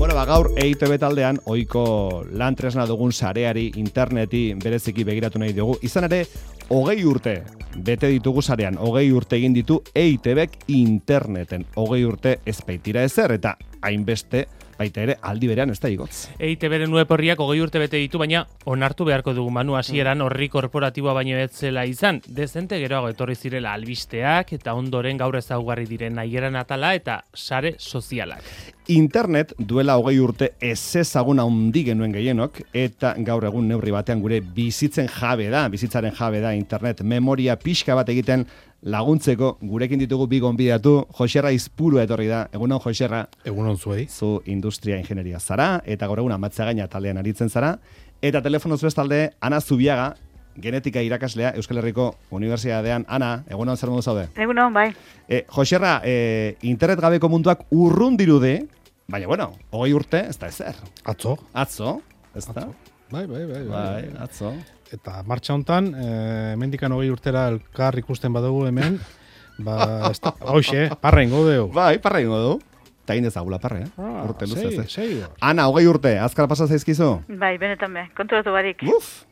Bueno, gaur EITB taldean ohiko lan tresna dugun sareari, interneti bereziki begiratu nahi dugu. Izan ere, 20 urte bete ditugu sarean, 20 urte egin ditu EITBek interneten. 20 urte ez baitira ezer eta hainbeste baita ere aldi berean ez da igotz. EITBren web horriak 20 urte bete ditu, baina onartu beharko dugu Manu hasieran horri korporatiboa baino ez zela izan. Dezente geroago etorri zirela albisteak eta ondoren gaur ezaugarri diren nahieran atala eta sare sozialak. Internet duela 20 urte ezezagun handi genuen gehienok eta gaur egun neurri batean gure bizitzaren jabe da internet memoria pixka bat egiten laguntzeko gurekin ditugu bi gonbidatu. Joserra Izpurua etorri da. Egunon, Joserra. Egunon zuei. Zu industria ingenieria zara eta gaur egun Amatzagaina taldean aritzen zara. Eta telefonoz bestalde Ana Zubiaga, genetika irakaslea Euskal Herriko Unibertsitatean. Ana, egunon, zer modu zaude? Egunon, bai. Joserra, internet gabeko munduak urrun dirude, baina bueno, 20 urte ez da ezer. Atzo, ez da? Bai, Atzo. Eta martxa hontan, hemendikan 20 urtera elkar ikusten badugu hemen, hoxe, parra ingo dugu. Bai, parra ingo du. Eta egin ezagula parre, urte luzez. Sei. Ana, 20 urte, azkar pasa zaizkizu? Bai, benetan be, konturatu barik. Uf!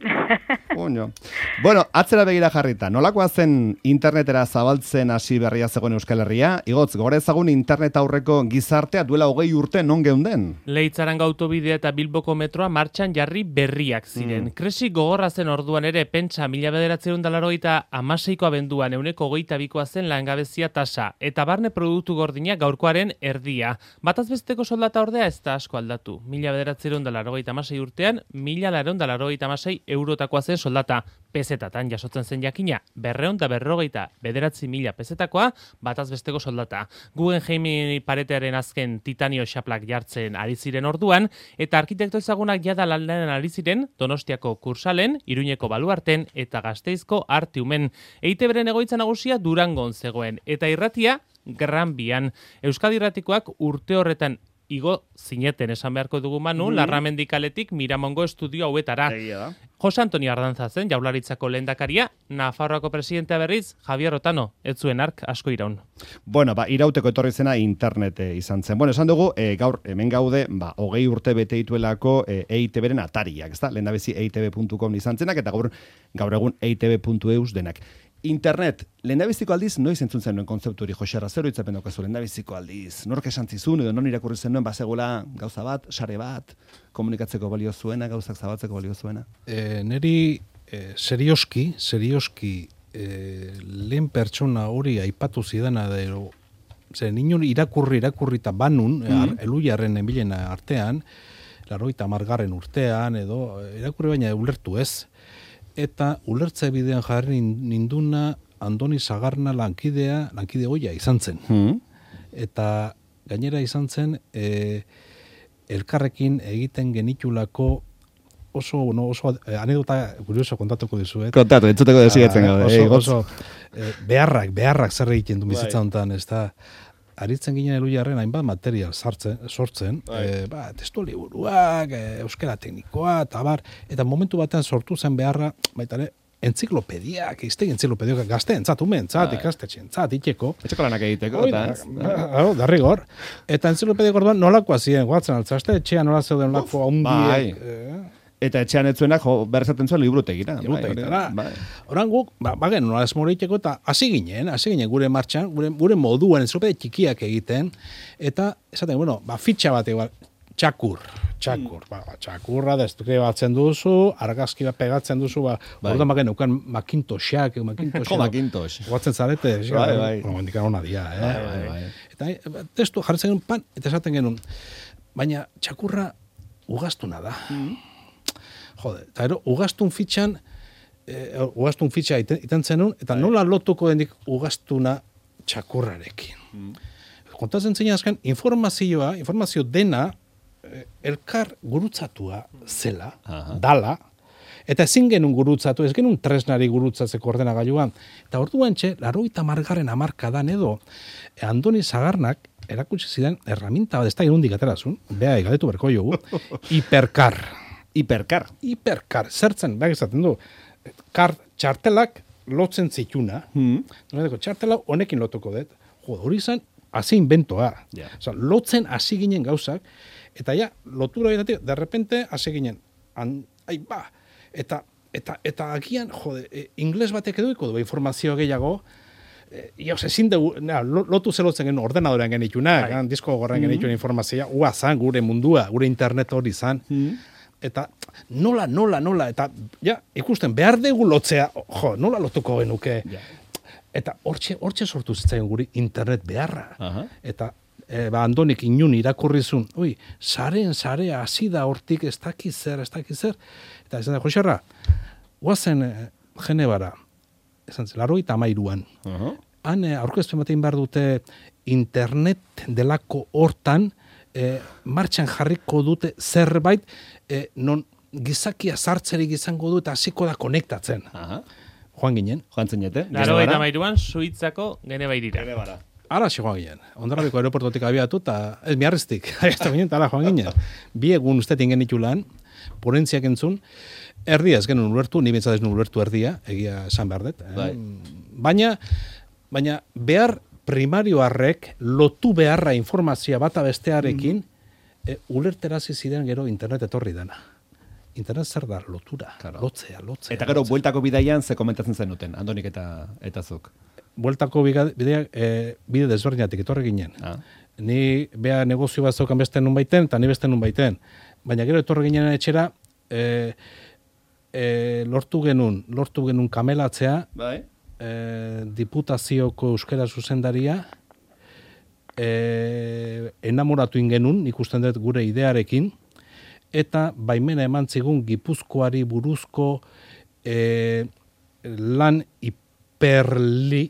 Puño. Bueno, atzera begira jarrita, nolakoa zen internetera zabaltzen hasi berria zegoen Euskal Herria? Igotz, gora ezagun internet aurreko gizartea duela 20 urte non geunden? Leitzaranga autobidea eta Bilboko metroa martxan jarri berriak ziren. Kresi gogorra zen orduan ere, pentsa 1986ko abenduan 22%koa zen langabezia tasa, eta barne produktu gordina gaurkoaren erdia. Batazbesteko soldata ordea ez da asko aldatu. 1986 urtean, 1986 eurotakoa zen soldata. Pesetatan jasotzen zen jakina, 249.000 pesetakoa batazbesteko soldata. Guggenheim paretearen azken titanio xaplak jartzen ari ziren orduan, eta arkitekto ezagunak jada lanean ari ziren Donostiako Kursalen, Iruñeko Baluarten eta Gasteizko Artiumen. EITBren egoitza nagusia Durangon zegoen, eta irratia Gran Bian. Euskadi irratikoak urte horretan igo zineten esan beharko dugu Manu, Larramendikaletik Miramongo estudio hauetara. Jose Antonio Ardanza zen Jaurlaritzako lehendakaria, Nafarroako presidentea berriz Javier Otano, ez zuen ark asko iraun. Bueno, irauteko etorri zena internet izan zen. Bueno, esan dugu, gaur hemen gaude, 20 urte bete dituelako EITBren atariak, ezta? Lehendabezi eitb.com izan zenak, eta gaur egun eitb.eus denak. Internet, lehendabiziko aldiz, noiz entzun zen nuen kontzeptu hori, Joserra, zer hitzapen daukazu lehendabiziko aldiz? Nork esan zizun, edo non irakurri zen nuen, bazegoela gauza bat, sare bat, komunikatzeko balio zuena, gauzak zabaltzeko balio zuena? Neri serioski, lehen pertsona hori aipatu zidana dero, zer ninon irakurri eta banun, eluiarren enbilen artean, 80. urtean, edo irakurri baina ulertu ez. Eta ulertze bidean jarri ninduna Andoni Sagarna lankide hoia izan zen. Eta gainera izan zen elkarrekin egiten genitulako oso anekdota kurioso kontatuko dizuet. Kontatu, entzuteko desigatzen gaude. Oso beharrak zer egiten du bizitza honetan, ez da. Aritzen ginen eluiarren hainbat material sortzen, testu liburuak, euskara teknikoa, eta momentu batean sortu zen beharra, baita ere, enziklopediak, gazteentzat, umeentzat, ikastetxeentzat, iteko. Etxeko lanak egiteko, darrigor. Eta enziklopediak orduan nolakoa ziren, guatzen altzazte, etxean nola zeuden lako haundiek. Eta etxean etzuenak berzaten zuen librutegira. Horan guk, bagen nola esmoriteko eta hasi ginen gure martxan, gure moduan entzilopede txikiak egiten, eta esaten, fitxa bat igual, txakur. Txakurra destuke batzen duzu, argazki bat pegatzen duzu, orduan bagen euken Macintossak, Macintosh. Guatzen zarete, mendikan hona dia, Eta testu jarretzen genuen pan, eta esaten genuen, baina txakurra ugaztuna da. Eta ugaztun fitxa iten zenun, eta nola lotuko dendik ugaztuna txakurrarekin. Kontatzen zein azken, informazio dena elkar gurutzatua zela, dala, eta ezin genuen gurutzatu, ez genuen tresnari gurutzatzeko ordenagailuan. Eta orduan 80. hamarkadan edo, Andoni Sagarnak erakutsi zidan erraminta bat, ez da irundik aterazun, beha galdetu berko jogu, Hiperkar, zertzen, behar izaten du, txartelak lotzen zituna, txartela honekin lotuko dut, hori izan hasi inventoa. Ja. Osea, lotzen hasi ginen gauzak, eta ja, lotura edatik, de repente hasi ginen, eta agian, ingles batek eduiko du informazio gehiago, ezin dugu, lotu zelotzen genuen ordenadorean genitunak, disko gorrean genituen informazioa, zan gure mundua, gure internet hori zan, eta nola, eta ja, ikusten, behar dugu lotzea, nola lotuko genuke, eta hortxe sortu zitzaion guri internet beharra, eta Andonik inun irakurrizun, sarea hasi da hortik ez dakiz zer, eta esan da, Joxarra, guazen Genebara, esan zen, 93an. Han aurkezpen batein behar dute internet delako hortan martxan jarriko dute zerbait non gizakia sartzerik izango du eta hasiko da konektatzen. Joan ginen. Joan zinete. 93an Suitzako Genebairira. Ara joan ginen. Hondarrabiko aeroportotik abiatu eta ez miarriztik. Abiatu ginen, eta joan ginen. Bi egun ustetin genitu lan, ponentziak entzun, erdia ez genuen ulertu, ni bintzat ez nuen ulertu erdia, egia esan behar dut. Baina behar primarioarrek lotu beharra informazioa bata bestearekin, ulerterazi ziren gero internet etorri dana. Internet zer da lotura, lotzea. Eta gero, bueltako bidaian ze komentatzen zenuten, Andonik eta zuk? Bueltako bideak bide desberdinatik etorri ginen. Ni bea negozio bat zaukan beste nun baiten, eta ni beste nun baiten. Baina gero etorri ginen etxera, lortu genuen kamelatzea, Diputazioko euskara zuzendaria, enamoratu ingenun, ikusten dut gure idearekin, eta baimena eman zigun Gipuzkoari buruzko lan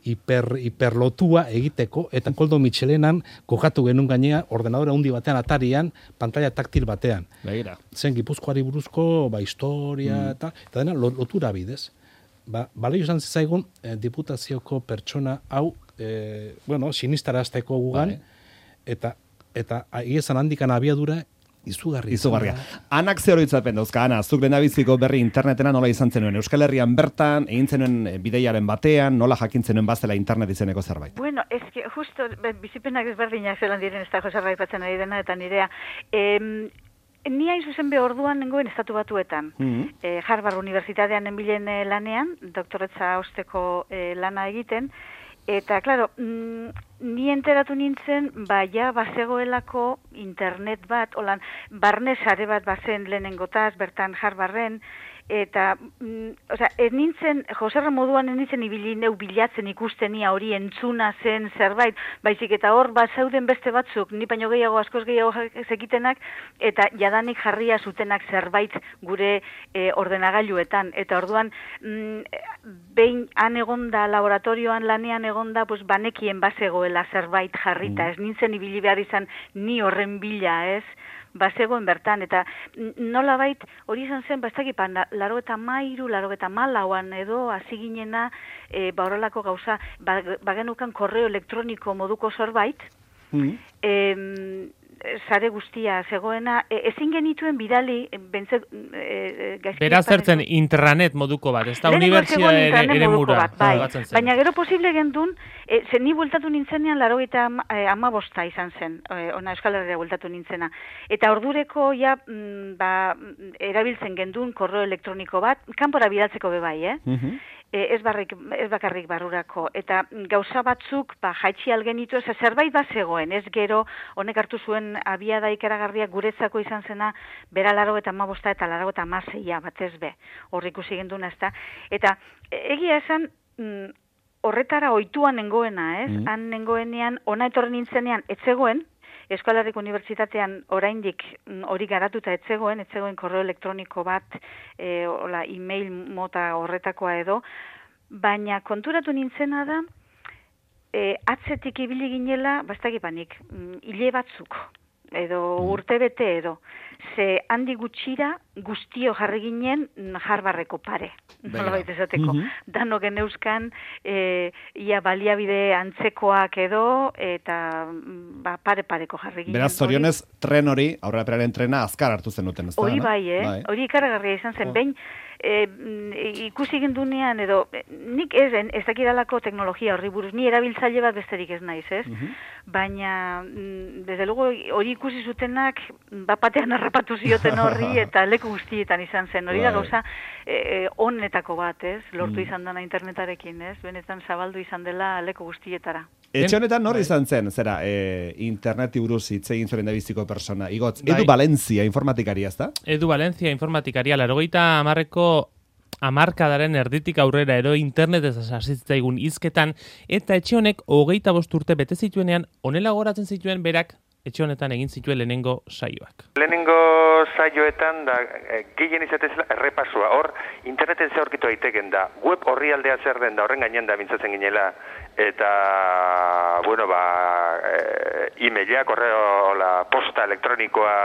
hiperlotua egiteko, eta Koldo Mitxelenan kokatu genuen gainea ordenadora hundi batean atarian, pantalla taktil batean. Begira. Zen Gipuzkoari buruzko historia eta dena lotura bidez. Balio izan zizaigun diputazioko pertsona hau, sinistarazteko gugan, eta iezan handikan abiadura izugarria. Anak ze horoitzapen dauzka, Ana, zuk lehendabiziko berri internetena nola izan zenuen? Euskal Herrian bertan, egin zenuen bideiaren batean, nola jakin zenuen bazela internet izeneko zerbait? Bueno, justo, bizipenak ezberdinak zelan diren ez da Joserra aipatzen ari dena, eta nirea, ni hain zuzen orduan nengoen estatu batuetan. Harvard Unibertsitatean nenbilen lanean, doktoretza osteko lana egiten, eta, klaro, ni enteratu nintzen, bazegoelako internet bat, holan, barne sare bat bazen lehenengotaz, bertan Harvarden, eta, ez nintzen, Joserra moduan ez nintzen ibili neu bilatzen ikustenia hori entzuna zen zerbait, baizik eta hor zauden beste batzuk, ni baino gehiago, askoz gehiago zekitenak, eta jadanik jarria zutenak zerbait gure ordenagailuetan. Eta orduan, behin han egonda, laboratorioan lanean egonda, banekien bazegoela zerbait jarrita, ez nintzen ibili behar izan ni horren bila, ez? Bazegoen bertan, eta nolabait hori izan zen, ez dakit, 94 edo hasi ginena, horrelako gauza, bagenukan korreo elektroniko moduko zerbait, sare guztia zegoena, ezin genituen bidali, beraz zertzen intranet moduko bat, ez da unibertsitate ere mura. Baina gero posible gendun, ni bueltatu nintzenean 95 izan zen, ona Euskal Herria bueltatu nintzena. Eta ordureko ja, erabiltzen gendun korreo elektroniko bat, kanpora bidaltzeko bebai, ez bakarrik barrurako. Eta gauza batzuk, jaitsi algenitu, zerbait bat zegoen, ez gero, honek hartu zuen abiada ikaragarria guretzako izan zena, bera 95 eta 96 batez be, hor ikusi genduna, ez da. Eta egia esan, horretara ohituan nengoena, ez? Han nengoenean, ona etorri nintzenean, etzegoen, Euskal Herriko Unibertsitatean oraindik hori garatuta etzegoen korreo elektroniko bat, e-mail mota horretakoa edo, baina konturatu nintzena da, atzetik ibili ginela, hile batzuk, edo urte bete edo, ze handi gutxira guztio jarri ginen Harvardeko pare. Nolabait esateko. Danok geneuzkan ia baliabide antzekoak edo eta pare-pareko jarri ginen. Beraz, zorionez, tren hori, aurreraperaren trena azkar hartu zenuten, ez da? Hori bai, hori ikaragarria izan zen, behin ikusi gindunean edo nik ez dakidalako teknologia horri buruz, ni erabiltzaile bat besterik ez naiz, ez? Baina, desde luego, hori ikusi zutenak batean harrapatu zioten horri eta leku guztietan izan zen. Hori da gauza honetako bat, ez? Lortu izan dena internetarekin, ez? Benetan zabaldu izan dela leku guztietara. Etxe honetan nor izan zen, zera, interneti buruz hitz egin zuen da biziko persona. Igotz, Edu Valencia informatikaria, ezta? Edu Valencia informatikaria, 80ko hamarkadaren erditik aurrera ero internetez hasitzaigun hizketan, eta etxe honek 25 urte bete zituenean, honela goratzen zituen berak etxe honetan egin zituen lehenengo saioak. Lehenengo saioetan da gehien izatezela errepasua. Hor interneten ze aurkitu daiteken da. Web orrialdea zer den da, horren gainean da mintzatzen ginela. Eta, bueno, e-mailak, posta elektronikoa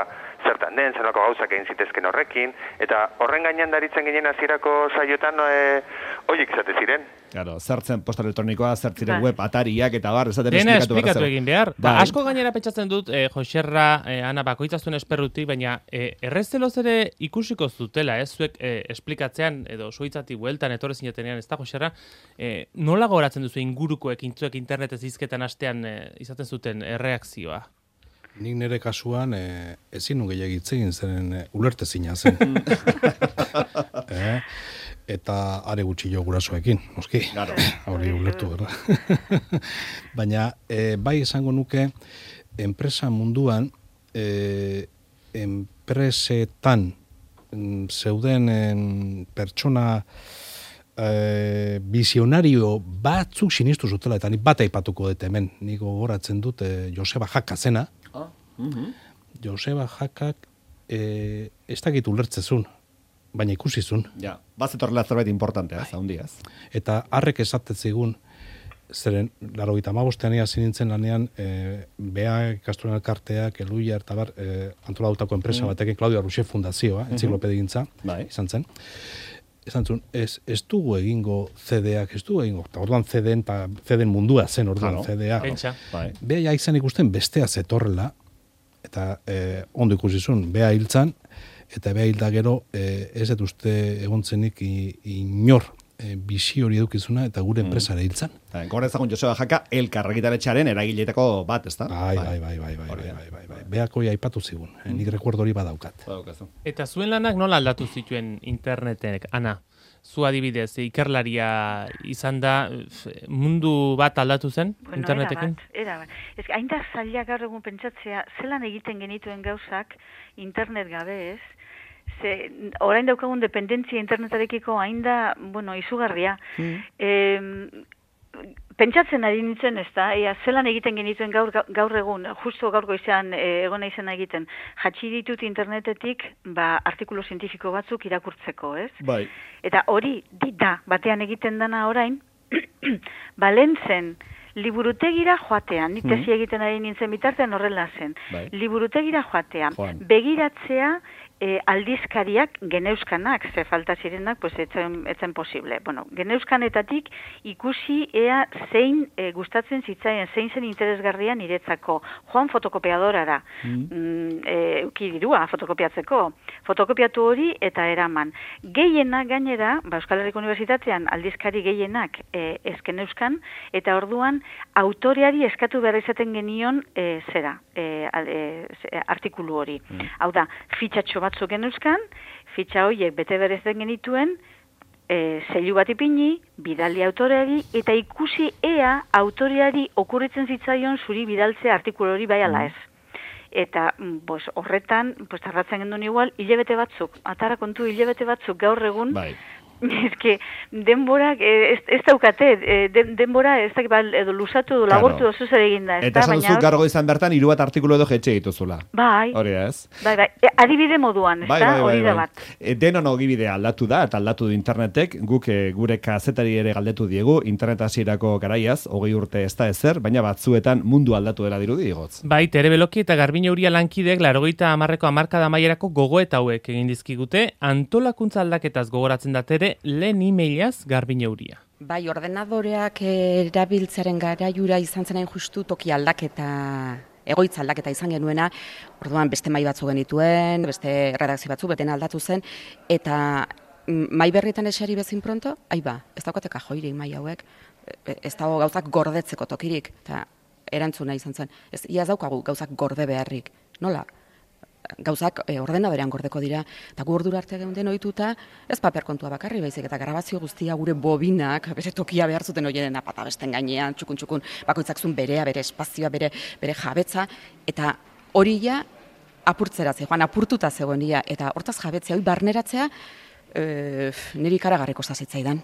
zertan den, zenako gauzak egin zitezken horrekin, eta horren gainean daritzen ginen hasierako saioetan horiek izate ziren. Claro, zertzen posta elektronikoa, zertziren web atariak eta bar, esaten dena esplikatu egin behar. Asko gainera pentsatzen dut, Joserra, Ana, bakoitzazuen esperrutik, baina errezeloz ere ikusiko zutela, zuek esplikatzean, edo suitzati bueltan etorre zinetenean, ez da, Joserra, nola goratzen duzu ingurukoek intzuek internetez hizketan astean izaten zuten erreakzioa? Nik nire kasuan ezin nu gehiagitzegin zeren ulertezina zen. Eta are gutxi jo gurasoekin, noski. Hori ulertu, berda. Baina bai esango nuke enpresa munduan enpresetan zeuden pertsona visionario batzuk sinistu zutela, eta nik bat aipatuko dut hemen. Nik gogoratzen dut Joseba Jaka zena. Joseba Jakak ez dakit ulertzezun, baina ikusizun. Ja, bazetorrela zerbait importantea, zaundiaz. Eta harrek esatetzigun, zeren, 85ean hasi nintzen lanean, Bea ikastolen elkarteak, Eluia, eta bar, antolatutako enpresa batekin, Claudia Ruxe Fundazioa, entziklopedegintza, izan zen. Esan zuen, ez dugu egingo CD-ak, ez dugu egingo, eta orduan CD-en mundua zen orduan CD-ak. Bea izan ikusten bestea zetorrela, eta ondo ikusizun, Bea hiltzan, eta Bea hilda gero, ez dut uste egontzenik inor bizi hori edukizuna, eta gure enpresare hiltzan. Gora ezagun Joseba Jaka, elkar argitaletxearen eragiletako bat, ez da? Bai. Beako aipatu zigun, nik rekuerdo hori badaukat. Eta zuen lanak nola aldatu zituen internetek, Ana? Zu adibidez, ikerlaria izan da, mundu bat aldatu zen internetekin? Era bat. Ez hain da zaila gaur egun pentsatzea, zelan egiten genituen gauzak internet gabe ez, orain daukagun dependentzia internetarekiko hain da, izugarria. Pentsatzen ari nintzen, ez da, zelan egiten genituen gaur egun, justo gaur goizean egona izan egiten, jatsi ditut internetetik, artikulu zientifiko batzuk irakurtzeko, ez? Bai. Eta hori, da, batean egiten dana orain, balentzen, liburutegira joatean, nik tesi egiten ari nintzen bitartean horrela zen, liburutegira joatean, begiratzea, aldizkariak geneuzkanak, ze falta zirenak, pues etzen posible. Bueno, geneuzkanetatik ikusi ea zein gustatzen zitzaien, zein zen interesgarria niretzako. Joan fotokopiadorara, dirua fotokopiatzeko. Fotokopiatu hori eta eraman. Gehienak gainera, Euskal Herriko Unibertsitatean aldizkari gehienak ez geneuzkan, eta orduan autoreari eskatu behar izaten genion artikulu hori. Hau da, fitxatxo batzuk geneuzkan, fitxa horiek bete berezen genituen, zeilu bat ipini, bidali autoreari, eta ikusi ea autoreari okurritzen zitzaion zuri bidaltzea artikulu hori bai ala ez. Eta horretan, tardatzen gendun igual, hilabete batzuk, atara kontu hilabete batzuk gaur egun, eske denborak ez daukate, denbora ez dakit edo luzatu edo labortu oso zer eginda, ez da, eta esan duzu gargo izan bertan 3 bat artikulu edo jetxe dituzula. Bai. Hori ez? Bai, adibide moduan, ez da, hori da bat. Denon ogibidea aldatu da, eta aldatu du internetek, guk gure kazetari ere galdetu diegu, internet hasierako garaiaz, 20 urte ez da ezer, baina batzuetan mundu aldatu dela dirudi igotz. Bai, Tere Beloki eta Garbine Uria lankidek 80ko hamarkada amaierako gogoeta hauek egin dizkigute, antolakuntza aldaketaz gogoratzen da Tere, lehen emailaz Garbine Uria. Bai, ordenadoreak erabiltzaren garaiura izan zen hain justu toki aldaketa, egoitza aldaketa izan genuena, orduan beste mai batzu genituen, beste redakzio batzu, beten aldatu zen, eta mai berrietan eseri bezin pronto, ez daukate kajoiri mai hauek, ez dago gauzak gordetzeko tokirik, eta erantzuna izan zen, ez daukagu gauzak gorde beharrik, nola? Gauzak ordenadorean gordeko dira, eta gu ordura arte geunden ohituta, ez paper kontua bakarri baizik, eta grabazio guztia gure bobinak, bere tokia behar zuten horienen apata besten gainean, txukun, bakoitzak zuen berea, bere espazioa, bere jabetza, eta hori ja apurtzera zegoen, apurtuta zegoen ia, eta hortaz jabetzea, hori barneratzea, niri ikaragarriko zazitzaidan.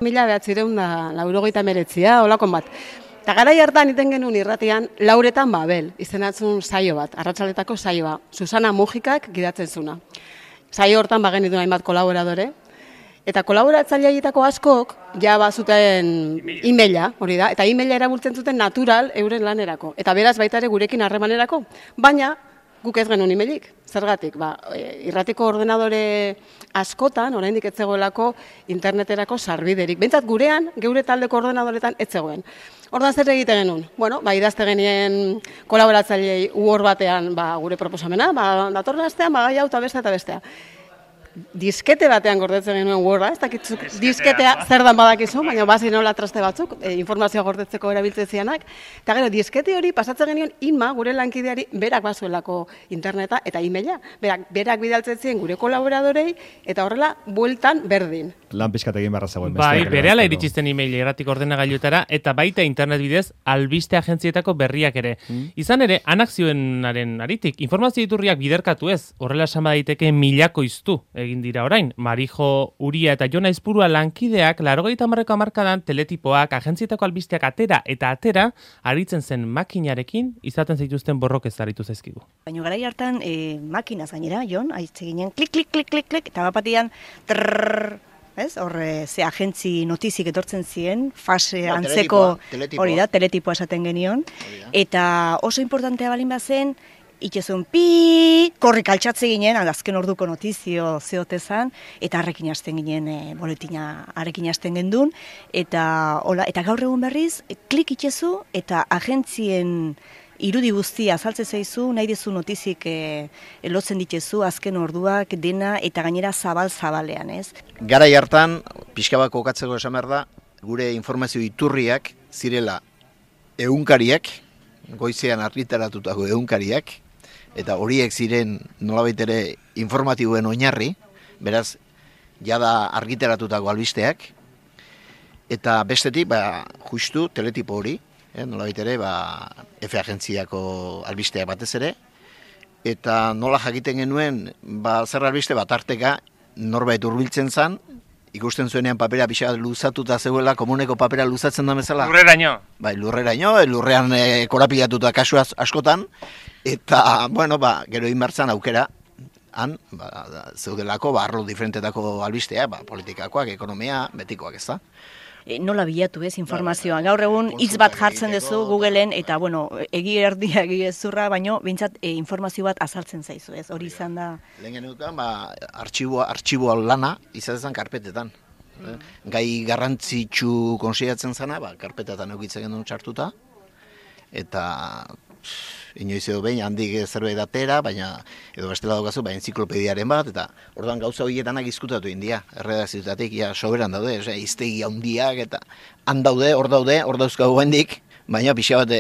1989, olakon bat. Eta garai hartan iten genuen irratian, Lauretan Babel, izenatzun saio bat, arratsaletako saioa, Susana Mujikak gidatzen zuna. Saio hortan bagenituen hainbat kolaboradore, eta kolaboratzaileetako askok ja bazuten emaila, hori da, eta emaila erabiltzen zuten natural euren lanerako, eta beraz baita ere gurekin harremanerako, baina guk ez genuen emailik. Zergatik, irratiko ordenadore askotan, oraindik ez zegoelako interneterako sarbiderik. Bentsat gurean, geure taldeko ordenadoretan ez zegoen. Ordan zer egite genuen? Bueno, idazte genien kolaboratzailei uhor batean gure proposamena, datorren astean gai hau eta bestea. Diskete batean gordetzen genuen Worda, ez dakitzuk disketea zer dan badakizu, baina bazi nola traste batzuk, informazioa gordetzeko erabiltzen zianak. Eta gero, diskete hori pasatzen genuen Inma, gure lankideari, berak bazuelako interneta eta emaila. Berak bidaltzen zien gure kolaboradorei, eta horrela, bueltan berdin. Lan pixkat egin barra zegoen. Bai, berehala iritsizten email irratiko ordenagailuetara, eta baita internet bidez, albiste agentzietako berriak ere. Izan ere, anak zioenaren aritik, informazio iturriak biderkatu ez, horrela esan daiteke milako iztu egin dira orain. Marijo Uria eta Jon Aizpurua lankideak 80ko hamarkadan teletipoak, agentzietako albisteak atera, aritzen zen makinarekin izaten zituzten borrokez aritu zaizkigu. Baina garai hartan makinaz gainera, Jon, aitze ginen klik, klik, klik, klik, klik, eta bapatian trrrr, horre, ze agentzi notizik etortzen ziren, fase antzeko, hori da, teletipoa esaten genion, eta oso importantea balin bazen, itxezun korrik altxatze ginen, azken orduko notizio zeotezan, eta harrekin hasten ginen, boletina harrekin hasten gendun, eta gaur egun berriz, klik itxezu, eta agentzien irudi guztia azaltze zaizu, nahi dezu notizik lotzen ditezu, azken orduak dena, eta gainera zabal-zabalean, ez? Garai hartan, pixka bat kokatzeko esan behar da, gure informazio iturriak zirela egunkariak, goizean argitaratutako egunkariak, eta horiek ziren nolabait ere informatiboen oinarri, beraz, jada argitaratutako albisteak, eta bestetik, justu teletipo hori, nolabait ere, F agentziako albisteak batez ere, eta nola jakiten genuen, zer albiste bat arteka, norbait hurbiltzen zan, ikusten zuenean papera pixa luzatuta zegoela, komuneko papera luzatzen da bezala. Lurreraino. Bai, lurreraino, lurrean korapilatuta kasu askotan, eta, gero inbertzan aukera, han, zeudelako, arlo diferentetako albistea, politikakoak, ekonomia, betikoak ez da. Nola bilatu ez informazioa. Gaur egun hitz bat jartzen duzu Googleen, eta, egi erdia, egi ezurra, baino, bintzat informazio bat azaltzen zaizu, ez? Hori izan da... Lehen genukan, artxiboa lana izatezan karpetetan. Gai garrantzitsu konsideratzen zana, karpetetan eukitzen genuen txartuta, eta inoiz edo behin handik zerbait atera, baina edo bestela daukazu, enziklopediaren bat, eta orduan gauza horietanak izkutatu india, erredakzioetatik, soberan daude, iztegi handiak, eta han daude, hor dauzkagu hendik, baina pixa bat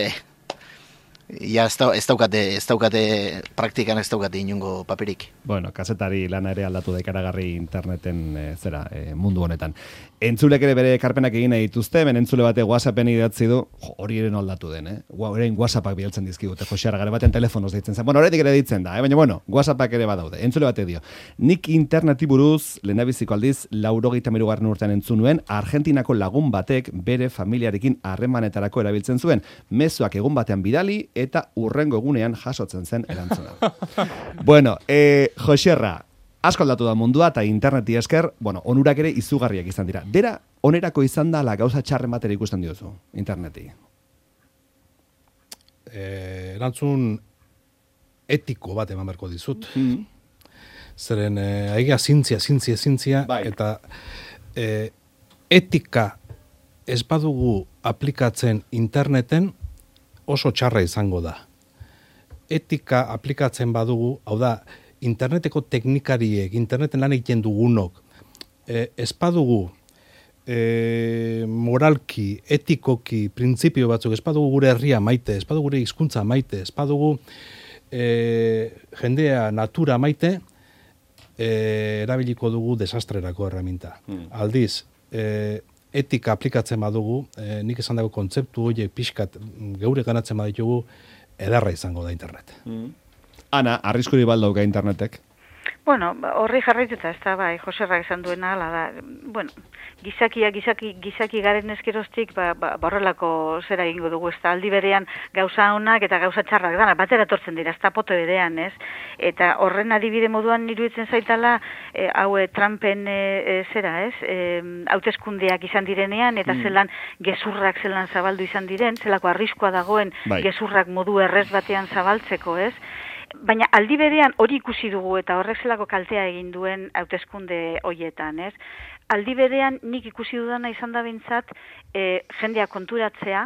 ja ez daukate praktikan ez daukate inungo paperik. Bueno, kazetari lana ere aldatu da ikaragarri interneten mundu honetan. Entzulek ere bere ekarpenak egin nahi dituzte, ben entzule bate WhatsAppen idatzi du, hori ere aldatu den, orain WhatsAppak bialtzen dizkigute, Jose Arra, gare baten telefonoz deitzen zen. Bueno, horretik ere ditzen da, baina bueno, WhatsAppak ere badaude. Entzule bate dio, nik interneti buruz, lehendabiziko aldiz, 93. urtean entzun nuen, Argentinako lagun batek bere familiarekin harremanetarako erabiltzen zuen, mezuak egun batean bidali eta urrengo egunean jasotzen zen erantzuna. Bueno, Jose Arra, asko aldatu da mundua eta interneti esker, bueno, onurak ere izugarriak izan dira. Dera, onerako izan da la gauza txarren batera ikusten diozu, interneti? Erantzun etiko bat eman berko dizut. Zeren, aiga zintzia, bai. Eta etika ez badugu aplikatzen interneten oso txarra izango da. Etika aplikatzen badugu, hau da, interneteko teknikariek, interneten lan egiten dugunok, ez badugu moralki, etikoki, printzipio batzuk, ez badugu gure herria maite, ez badugu gure hizkuntza maite, ez badugu jendea natura maite, erabiliko dugu desastrerako erreminta. Aldiz, etika aplikatzen badugu, nik esan dago kontzeptu horiek pixkat geure ganatzen baditugu, edarra izango da internet. Ana, arriskuri baldauka internetek? Bueno, horri jarraituta, ez da, bai, Joserrak esan duena, ala da, bueno, gizaki garen eskeroztik, horrelako zera egingo dugu, ez da, aldi berean gauza honak eta gauza txarrak dana, batera etortzen dira, ez da poto berean, ez? Eta horren adibide moduan iruditzen zaitala, hau Trumpen zera, ez? Hauteskundeak izan direnean, eta zelan gezurrak zelan zabaldu izan diren, zelako arriskoa dagoen gezurrak modu errez batean zabaltzeko, ez? Baina aldi berean hori ikusi dugu eta horrek zelako kaltea egin duen hauteskunde hoietan, ez? Aldi berean nik ikusi dudana izan da bintzat jendea konturatzea,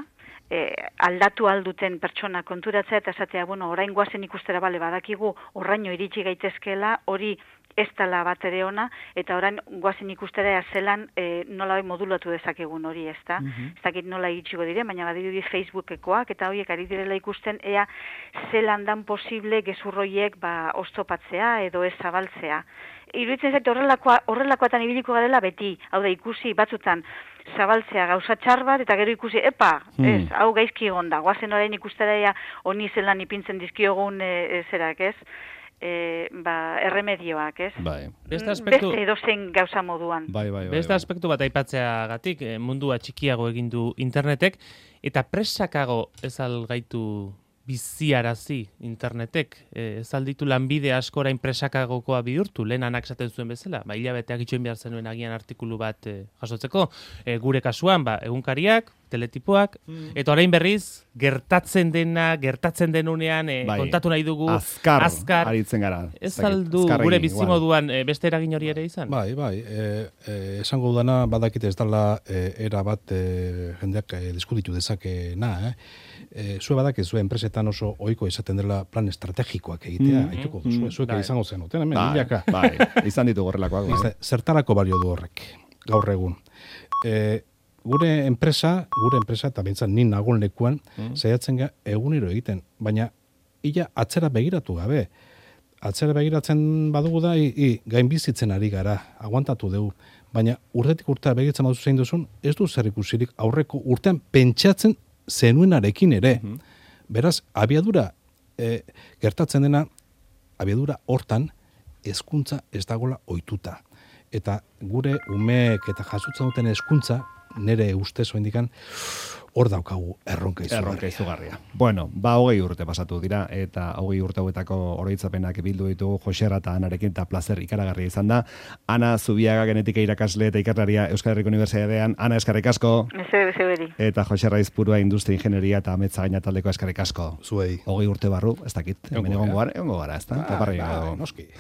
aldatu alduten pertsona konturatzea eta esatea, bueno, orain guazen ikustera bale badakigu, oraino iritsi gaitezkela, hori ez dela bat ere ona, eta orain guazen ikustera zelan nola modulatu dezakegun hori, ez da? Ez dakit nola iritsiko dire, baina badirudi Facebookekoak, eta horiek ari direla ikusten, ea zelan dan posible gezurroiek oztopatzea edo ez zabaltzea. Iruditzen zait horrelakoatan ibiliko garela beti, hau da ikusi batzutan zabaltzea gauza txar bat, eta gero ikusi, ez, hau gaizki egon da, guazen orain ikustera ea honi zelan ipintzen dizkiogun zerak, ez? Erremedioak, ez? Beste edozein gauza moduan. Beste aspektu bat aipatzeagatik, mundua txikiago egin du internetek, eta presakago ez algaitu biziarazi internetek, ez alditu lanbide asko orain presakagokoa bihurtu, lehen anak esaten zuen bezala, hilabeteak itxoin behar zenuen agian artikulu bat jasotzeko, gure kasuan, egunkariak, teletipoak, eta orain berriz, gertatzen denunean, kontatu nahi dugu, azkar aritzen gara. Ez aldu gure bizimoduan beste eragin hori ere izan? Bai, esango dudana badakite ez dela era bat jendeak diskutitu dezakena, zue badak zue enpresetan oso ohiko izaten dela plan estrategikoak egitea, haituko duzu, zuek izango zenuten, hemen, hilaka. Bai, izan ditu horrelakoak. Zertarako balio du horrek, gaur egun. Gure enpresa, eta bintzat nin nagon lekuan, saiatzen egunero egiten, baina illa atzera begiratu gabe. Atzera begiratzen badugu da, gainbizitzen ari gara, aguantatu dugu. Baina urtetik urtea begiratzen baduzu zein duzun, ez du zer ikusirik aurreko urtean pentsatzen zenuenarekin ere. Beraz, abiadura gertatzen dena, abiadura hortan hezkuntza ez dagoela ohituta. Eta gure umeek eta jasotzen duten hezkuntza, nire ustez oindikan, hor daukagu erronka izugarria. Bueno, 20 urte pasatu dira, eta 20 urte hauetako oroitzapenak bildu ditugu Jose Arra eta Anarekin, eta plazer ikaragarria izan da. Ana Zubiaga, genetika irakasle eta ikerlaria Euskal Herriko Unibertsitatean. Ana, eskerrik asko. Zeberi. Eta Jose Arra Izpurua, industria ingenieria eta ametza gaina taldeko eskerrik asko. Zuei. 20 urte barru, ez dakit. Hemen egongo gara, ez da? Noski.